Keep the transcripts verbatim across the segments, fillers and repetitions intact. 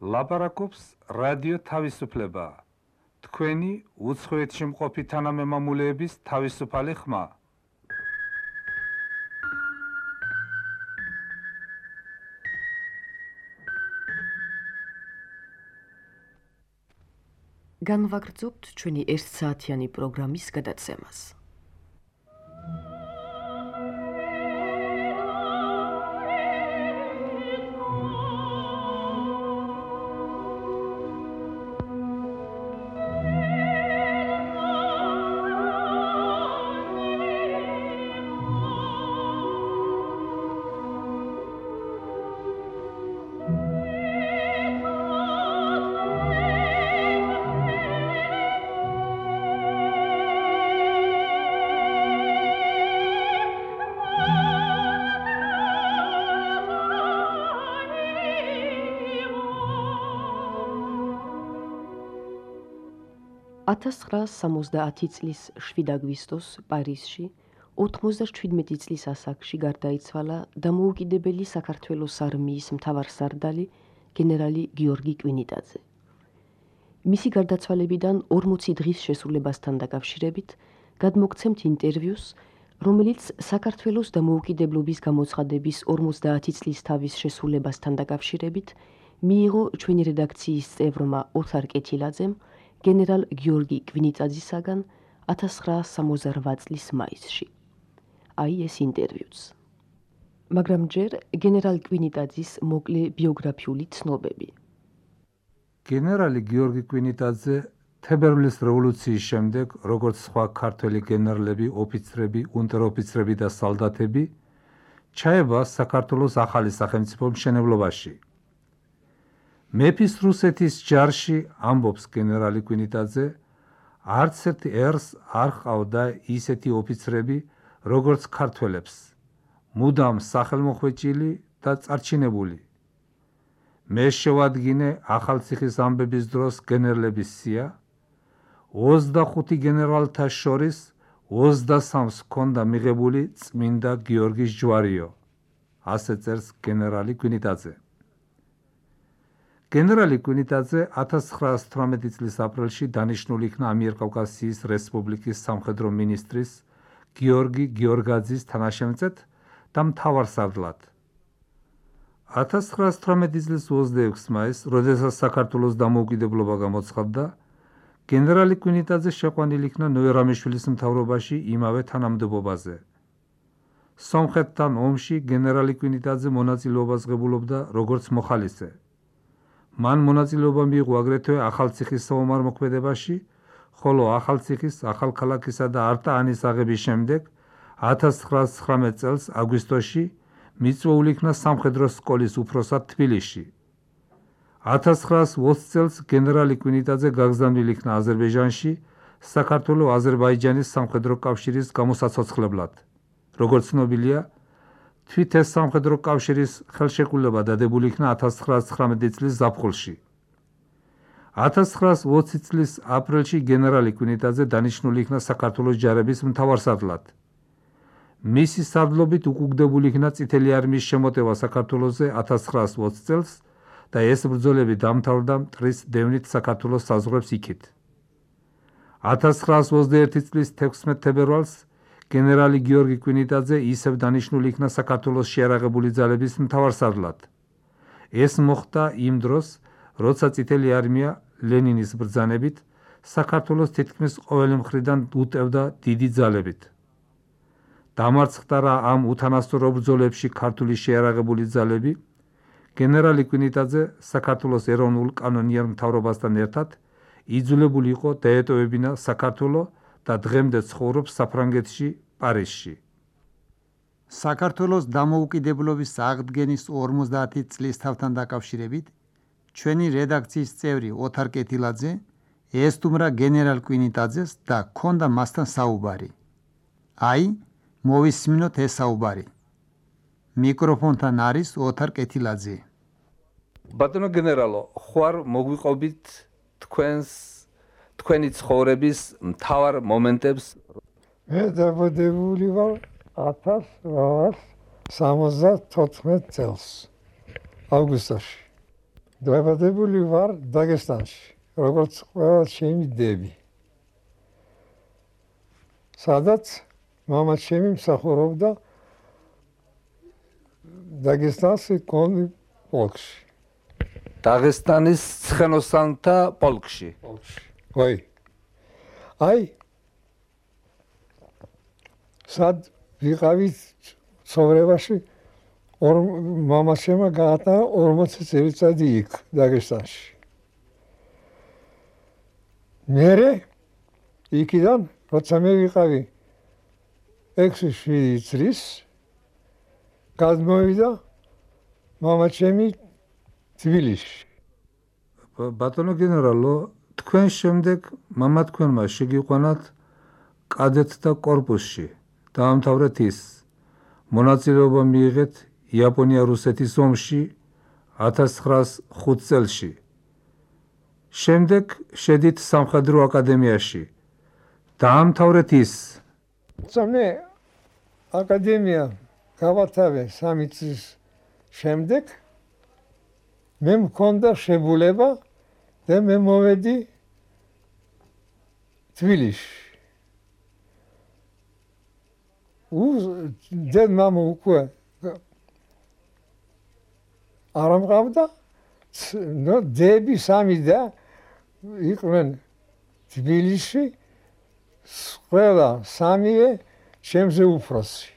ლაპარაკობს რადიო თავისუფლება. თქვენი უცხოეთში მყოფი თანამემამულეების თავისუფალი ხმა. განვაგრძობთ ჩვენი ერთსაათიანი პროგრამის გადაცემას. ათას ცხრაას სამოცდაათი წლის შვიდ აგვისტოს პარიზში ოთხმოცდაშვიდმეტი წლის ასაკში გარდაიცვალა დამოუკიდებელი საქართველოს არმიის მთავარსარდალი გენერალი გიორგი კვინიტაძე. მისი გარდაცვალებიდან ორმოცი დღის შესრულებასთან დაკავშირებით გადმოგცემთ ინტერვიუს, რომელიც საქართველოს დამოუკიდებლობის გამოცხადების ორმოცდაათი წლის თავის შესრულებასთან დაკავშირებით მიიღო ჩვენი რედაქციის წევრმა ოთარ კეთილაძემ გენერალ გიორგი კვინიტაძისაგან ათას ცხრაას სამოცდარვა წლის მაისში. აი ეს ინტერვიუც. მაგრამ ჯერ გენერალ კვინიტაძის მოკლე ბიოგრაფიული ცნობები. გენერალი გიორგი კვინიტაძე თებერვლის რევოლუციის შემდეგ, როგორც სხვა ქართველი გენერლები, ოფიცრები, უნტეროფიცრები და სალდათები, ჩაება საქართველოს ახალი სახელმწიფო მშენებლობაში. მეფის რუსეთის ჯარში, ამბობს გენერალი კვინიტაძე, არც ერთ ერს არ ჰყავდა ისეთი ოფიცრები, როგორც ქართველებს, მუდამ სახელმოხვეჭილი და წარჩინებული. მე შევადგინე ახალციხის ამბების დროს გენერლების სია, ოცდახუთი გენერალთა შორის ოცდასამს ჰქონდა მიღებული წმინდა გიორგის ჯვარიო, ასე წერს გენერალი კვინიტაძე. გენერალი კვინიტაძე ათას ცხრაას თვრამეტი წლის აპრილში დანიშნული იქნა ამიერკავკასიის რესპუბლიკის სამხედრო მინისტრის გიორგი გიორგაძის თანაშემწედ და მთავარსარდლად. ათას ცხრაას თვრამეტი წლის ოცდაექვსი მაისს, როდესაც საქართველოს დამოუკიდებლობა გამოცხადდა, გენერალი კვინიტაძე შეყვანილი იქნა ნოე-რამიშვილის მთავრობაში იმავე თანამდებობაზე. სომხეთთან ომში გენერალი კვინიტაძე მონაწილეობას ღებულობდა როგორც მოხალისე. მან მონაწილეობა მიიღო აგრეთვე ახალციხის საომარ მოქმედებაში, ხოლო ახალციხის, ახალქალაქისა და არტაანის აღების შემდეგ ათას ცხრაას ცხრამეტ წელს აგვისტოში მიწვეული იქნა სამხედრო სკოლის უფროსად თბილისში. ათას ცხრაას ოცი წელს გენერალი კვინიტაძე გაგზავნილი იქნა აზერბაიჯანში საქართველო-აზერბაიჯანის სამხედრო კავშირის გამოსაცოცხლებლად. როგორც ცნობილია, თვით ეს სამხედრო კავშირის ხელშეკრულება დადებული იქნა ათას ცხრაას ცხრამეტი წლის ზაფხულში. ათას ცხრაას ოცი წლის აპრილში გენერალი კვინიტაძე დანიშნული იქნა საქართველოს ჯარების მთავარსარდლად. მისი სარდლობით უკუგდებული იქნა წითელი არმიის შემოტევა საქართველოზე ათას ცხრაას ოცი წელს და ეს ბრძოლები დამთავრდა მტრის დევნით საქართველოს საზღვრებს იქით. ათას ცხრაას ოცდაერთი წლის თექვსმეტ თებერვალს გენერალი გიორგი კვინიტაძე ისევ დანიშნული იქნა საქართველოს შეიარაღებული ძალების მთავარსარდლად. ეს მოხდა იმ დროს, როცა წითელი არმია ლენინის ბრძანებით საქართველოს თითქმის ყოველი მხრიდან უტევდა დიდი ძალებით. დამარცხდა რა ამ უთანასწორო ბრძოლებში ქართული შეიარაღებული ძალები, გენერალი კვინიტაძე საქართველოს ეროვნულ კანონიერ მთავრობასთან ერთად იძულებული იყო დაეტოვებინა საქართველო და დღემდე ცხოვრობს საფრანგეთში, პარიზში. საქართველოს დამოუკიდებლობის აღდგენის ორმოცდაათი წლისთავთან დაკავშირებით ჩვენი რედაქციის წევრი ოთარ კეთილაძე ესტუმრა გენერალ კვინიტაძეს და ჰქონდა მასთან საუბარი. აი, მოვისმინოთ ეს საუბარი. მიკროფონთან არის ოთარ კეთილაძე. ბატონო გენერალო, ხوار მოგვიყვებით თქვენს თქვენი ცხოვრების მთავარ მომენტებს? მე დაბადებული ვარ ათას ცხრაას სამოცდათოთხმეტ წელს, აგვისტოში. დაბადებული ვარ დაგესტანში, როგორც ყველა ჩემი დები. სადაც მამა ჩემი მსახურობდა დაგესტანში კონი პოლკში. დაღესტანის ცხენოსანთა პოლკში. ვაი. აი სად ვიყავით ცხოვრებაში ორ მამაშემა გაატარა ორმოცი წელიწადი იქ დაგესტანში. მერე იქიდან როცა მე ვიყავი ექვსი შვიდი წლის გადმოვიდა მამაჩემი თბილისში. ბატონო გენერალო, თქვენ შემდეგ მამა თქვენმა შეგიყვანათ კადეტთა კორპუსში. დაამთავრეთ ის. მონაწილეობა მიიღეთ იაპონია-რუსეთის ომში ათას ცხრაას ხუთ წელში. შემდეგ შედით სამხედრო აკადემიაში. დაამთავრეთ ის. მე აკადემია გავათავე სამი წლის შემდეგ მე მქონდა შებულება და მე მოვედი თბილისში. და მამა უკვე არ ამყავდა, ნუ დები სამი და იყვნენ თბილისში, ყველა სამივე ჩემზე უფროსი.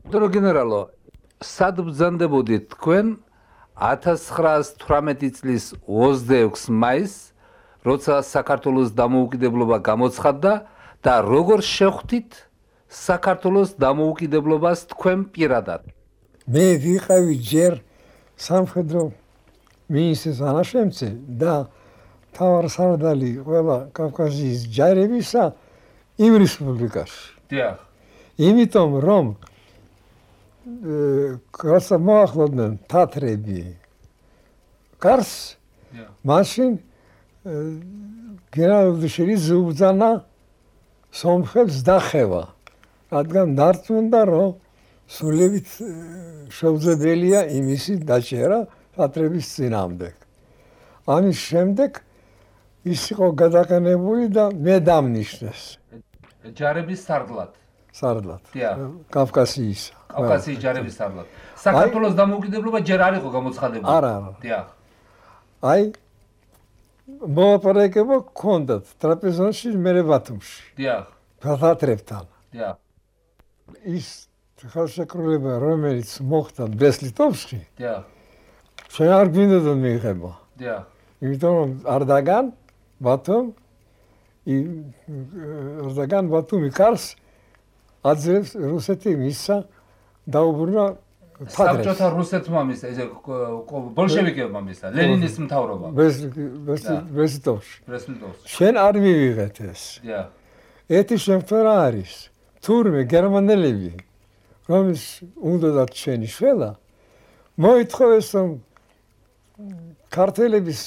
ბატონო გენერალო, სად ბრძანდებოდით თქვენ ათას ცხრაას თვრამეტი წლის ოცდაექვსი მაისს, როცა საქართველოს დამოუკიდებლობა გამოცხადდა და როგორ შეხვდით საქართველოს დამოუკიდებლობას თქვენ პირადად? მე ვიყავი ჯერ სამხედრო მინისტრის თანაშემწე და მთავარსარდალი ყველა კავკასიის ჯარებისა იმ რესპუბლიკაში. დიახ. იმიტომ რომ როცა მოახლოდნენ თათრები კარს, მაშინ გენერალ-ლეიტენანტი უბრძანა სომხებს დახევა, რადგან დარწმუნდა რომ სულებით შეუძლებელია იმისი დაჭერა თათრების წინააღმდეგ. ამის შემდეგ ის იყო გადაყენებული და მე დამნიშნეს ჯარების სარდლად. სარდლად. დიახ. კავკასიის. კავკასიის ჯარების სარდლად. საქართველოს დამოუკიდებლობა ჯერ არ იყო გამოცხადებული. არა, არა. დიახ. აი მოლაპარაკება გქონდათ ტრაპეზონში მერე ბათუმში. დიახ. თათრებთან. დიახ. ის ხელშეკრულება რომელიც მოხდა ბრესლიტოვში. დიახ. ჩვენ არ გვინდოდა მიიღება. დიახ. იმიტომ რომ არდაგან ბათუმ არდაგან ბათუმი კარს აძლევს რუსეთი მისცა დაუბრუნა თათრებს. საბჭოთა რუსეთმა მისცა, ესე ბოლშევიკებმა მისცა, ლენინის მთავრობა. ბრესლიტოვში. ბრესლიტოვში. შენ არ მივიღეთ ეს. დიახ. ეთი შემთხვევა არის. თურმე გერმანელები რომის უნდათ შენი შველა მოითხოვეს რომ ქართველების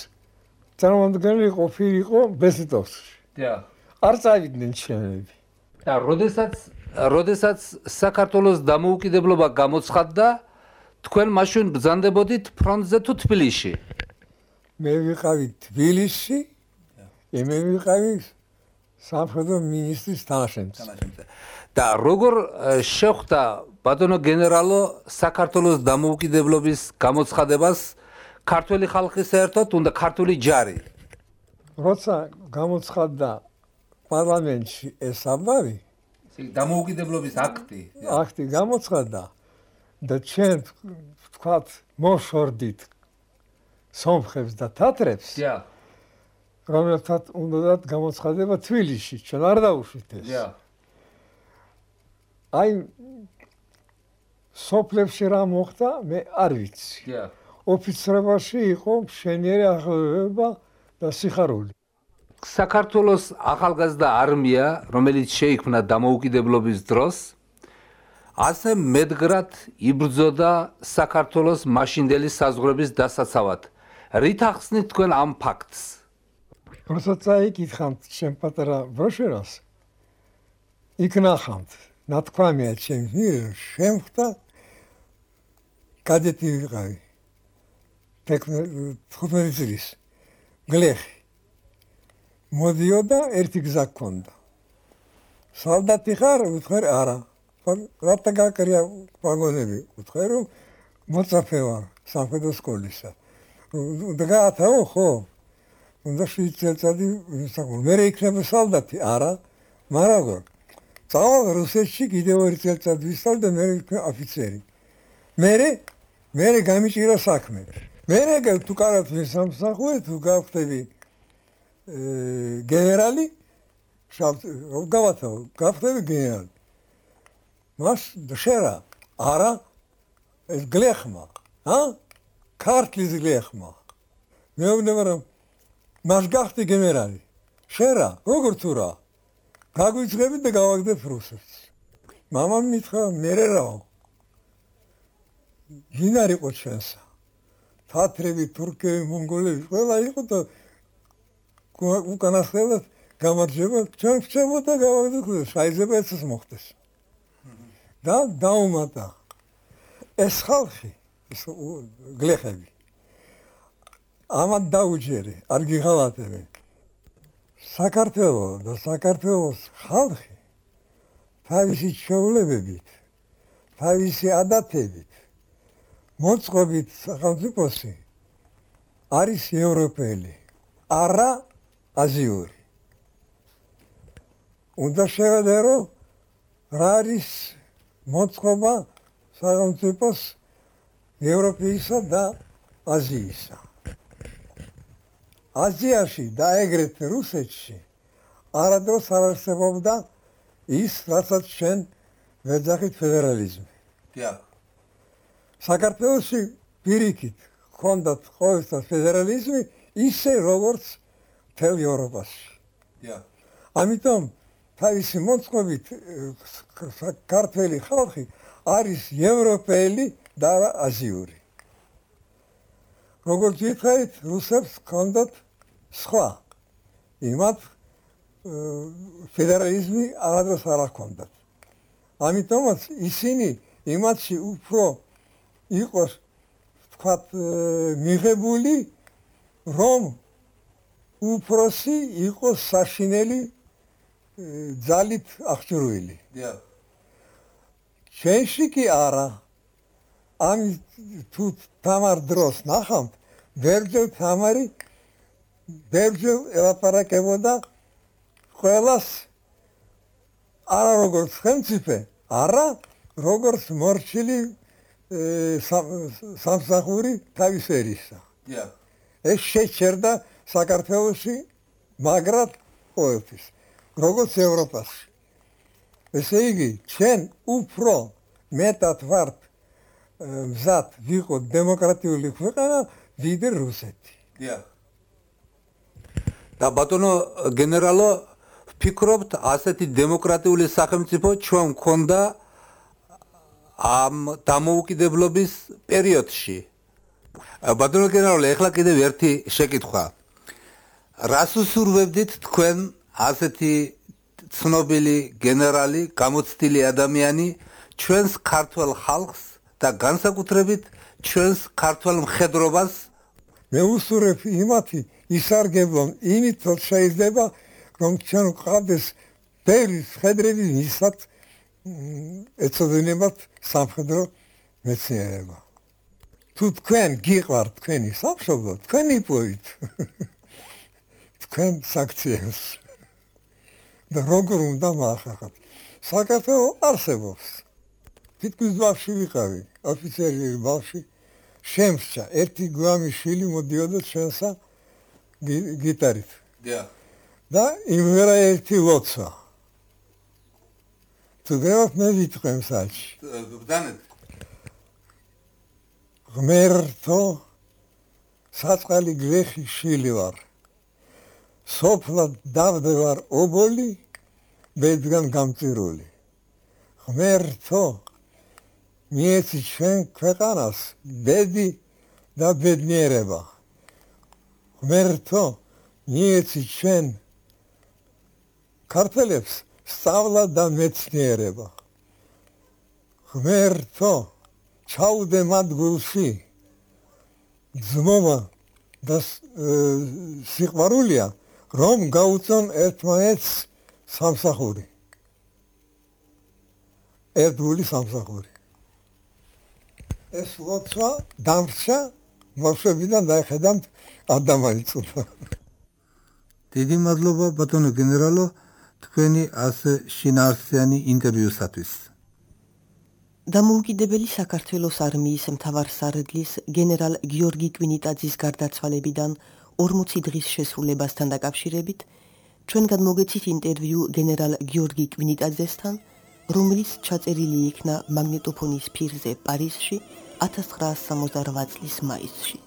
წარმომადგენელი ყოფილიყო ბრესლიტოვში. დიახ. არ წავიდნენ ჩემები. და როდესაც როდესაც საქართველოს დამოუკიდებლობა გამოცხადდა, თქვენ მაშინ ბრძანდებოდით ფრონტზე თუ თბილისში? მე ვიყავი თბილისში, მე ვიყავი სამხედრო მინისტრის თანაშემწე. და როგორ შეხვდა ბატონო გენერალო საქართველოს დამოუკიდებლობის გამოცხადებას ქართველი ხალხი საერთოდ უნდა ქართული ჯარი? როცა გამოცხადდა პარლამენტში ეს ამბავი, დამოუკიდებლობის აქტი. აქტი გამოცხადდა და ჩვენ ვთქვათ მოშორდით სომხებს და თათრებს. დიახ. რომელთაც უნდათ გამოცხადება თბილისში, ჩვენ არ დაუშვით ეს. დიახ. აი სოფლებში რა მოხდა, მე არ ვიცი. დიახ. ოფიცრებაში იყო მშენიერი აღლევება და სიხარული. საქართველოს ახალგაზრდა არმია, რომელიც შეიქმნა დამოუკიდებლობის დროს, ასე მედგრად იბრძოდა საქართველოს მაშინდელი საზღვრების დასაცავად. რით ახსნით თქვენ ამ ფაქტს? როცა წაიკითხავთ ჩემ პატარა ბროშურას, იქ ნახავთ, ნათქვამია ჩემს მიერ, შემხდა კადეტი ვიყავი. თხუთმეტი წლის გლეხი მოდიოდა ერთი გზა გქონდა სალდათი ხარ უთხრე არა რატა გაკრია ვაგონები უთხრე რომ მოწაფე ვარ სამხედრო სკოლისა და გაათაო ხო უნდა შვიდ წელიწადი ვისაუბრე მე იქნება სალდათი არა მაგრამ როგორ წავალ რუსეთში კიდევ ორი წელიწადი ვისწავლე და მე ვიქნა ოფიცერი მე მე გამიჭირა საქმე მე თუ კარგად ვისამსახურე თუ გავხდები გენერალი გავათაო გავხდები გენერალი მას შერა არა ეს გლეხმა ა ქართლის გლეხმა მეუბნება რომ მას გახდი გენერალი შერა როგორ თუ რა გაგვიძღები და გავაგდებ რუსეთს მამამ მითხრა მე რაო გინარ იყო ჩვენსა თათრები თურქები მონგოლები ყველა იყო და უკანასკნელად გამარჯვება ჩვენ ვწევოდა გავაგდებ შეიძლება ეცეს მოხდეს და დაუმატა ეს ხალხი ეს გლეხები ამათ დაუჯერე არ გიღალატებენ საქართველოს და საქართველოს ხალხი თავისი ჩვეულებებით თავისი ადათებით მოწყობით სახელმწიფოსი არის ევროპელი არა აზიური უნდა შევედერო რა არის მოწყობა სახელმწიფოს ევროპისა და აზიისა აზიაში და ეგრეთ რუსეთში არადროს არ არსებობდა ის რასაც ჩვენ ვეძახით ფედერალიზმი დიახ საქართველოში პირიქით ჰქონდათ ყოველთვის ფედერალიზმი ისე როგორც მთელ ევროპაში დიახ ამიტომ თავისი მოწყობით ქართველი ხალხი არის ევროპელი და აზიური როგორც ვითხარით რუსებს ჰქონდათ სხვა იმათ ფედერალიზმი არადროს არ ჰქონდათ ამიტომაც ისინი იმათში უფრო იყოს თქვათ მიღებული რომ უფროსი იყოს საშინელი ძალით აღჭურვილი დიახ ჩვენში კი არა ამის თუ თამარ დროს ნახავთ ბერძენ თამარი ბერძენ ელაპარაკებოდა ყველას არა როგორც ხელმწიფე არა როგორც მორჩილი სამსახური თავის ერისა დიახ ეს შეჩერდა საქართველოში მაგრად ყოველთვის როგორც ევროპაში ესე იგი ჩვენ უფრო მეტად ვართ მზად ვიყოთ დემოკრატიული ქვეყანა ვიდრე რუსეთი დიახ და ბატონო გენერალო ვფიქრობთ ასეთი დემოკრატიული სახელმწიფო ჩვენ მქონდა ამ დამოუკიდებლობის პერიოდში ბატონო გენერალო ეხლა კიდევ ერთი შეკითხვა რას უსურვებდით თქვენ ასეთი ცნობილი გენერალი გამოცდილი ადამიანი ჩვენს ქართველ ხალხს და განსაკუთრებით ჩვენს ქართველ მხედრობას მე უსურვებ იმათი ისარგებლონ იმით რომ შეიძლება რომ ჩვენ ყავდეს ბევრი მხედრები ვისაც ეცოდინებათ სამხედრო მეცნიერება თუ თქვენ გიყვართ თქვენი სამშობლო თქვენ იპოვით თქვენ საქციელს და როგორ უნდა მაახახოთ საქართველოს არსებობს თითქმის ბავშვი ვიყავი ოფიცერი ბავშვი შემსჭა ერთი გვამი შვილი მოდიოდა ჩვენსა გიტარით დიახ და იმერა ერთი ლოცვა თუ გეოთ მე ვიტყვი მსაჯი ბრძანეთ ღმერთო საწყალი გლეხი შვილი ვარ სოფლად დავდევარ ობოლი ბედგან გამწირული ღმერთო მიეცი ჩვენ ქვეყანას ბედი და ბედნიერება ღმერთო მიეცი ჩვენ ქართველებს სწავლა და მეცნიერება ღმერთო ჩაუდე მათ გულში ძმობა და სიყვარულია, რომ გაუწონ ერთმანეთს სამსახური. ერთგული სამსახური. ეს ლოცვა დამრჩა მოხსებიდან დაიხედავთ ადამიანი წუდა. დიდი მადლობა ბატონო გენერალო თქვენი ასე შინაარსიანი ინტერვიუსათვის. დამოუკიდებელი საქართველოს არმიის მთავარსარდლის გენერალ გიორგი კვინიტაძის გარდაცვალებიდან ორმოცი დღის შესრულებასთან დაკავშირებით ჩვენ გადმოგეცით ინტერვიუ გენერალ გიორგი კვინიტაძესთან, რომელიც ჩაწერილი იქნა მაგნიტოფონის ფირზე პარიზში ათას ცხრაასი სამოცდარვა წლის მაისში.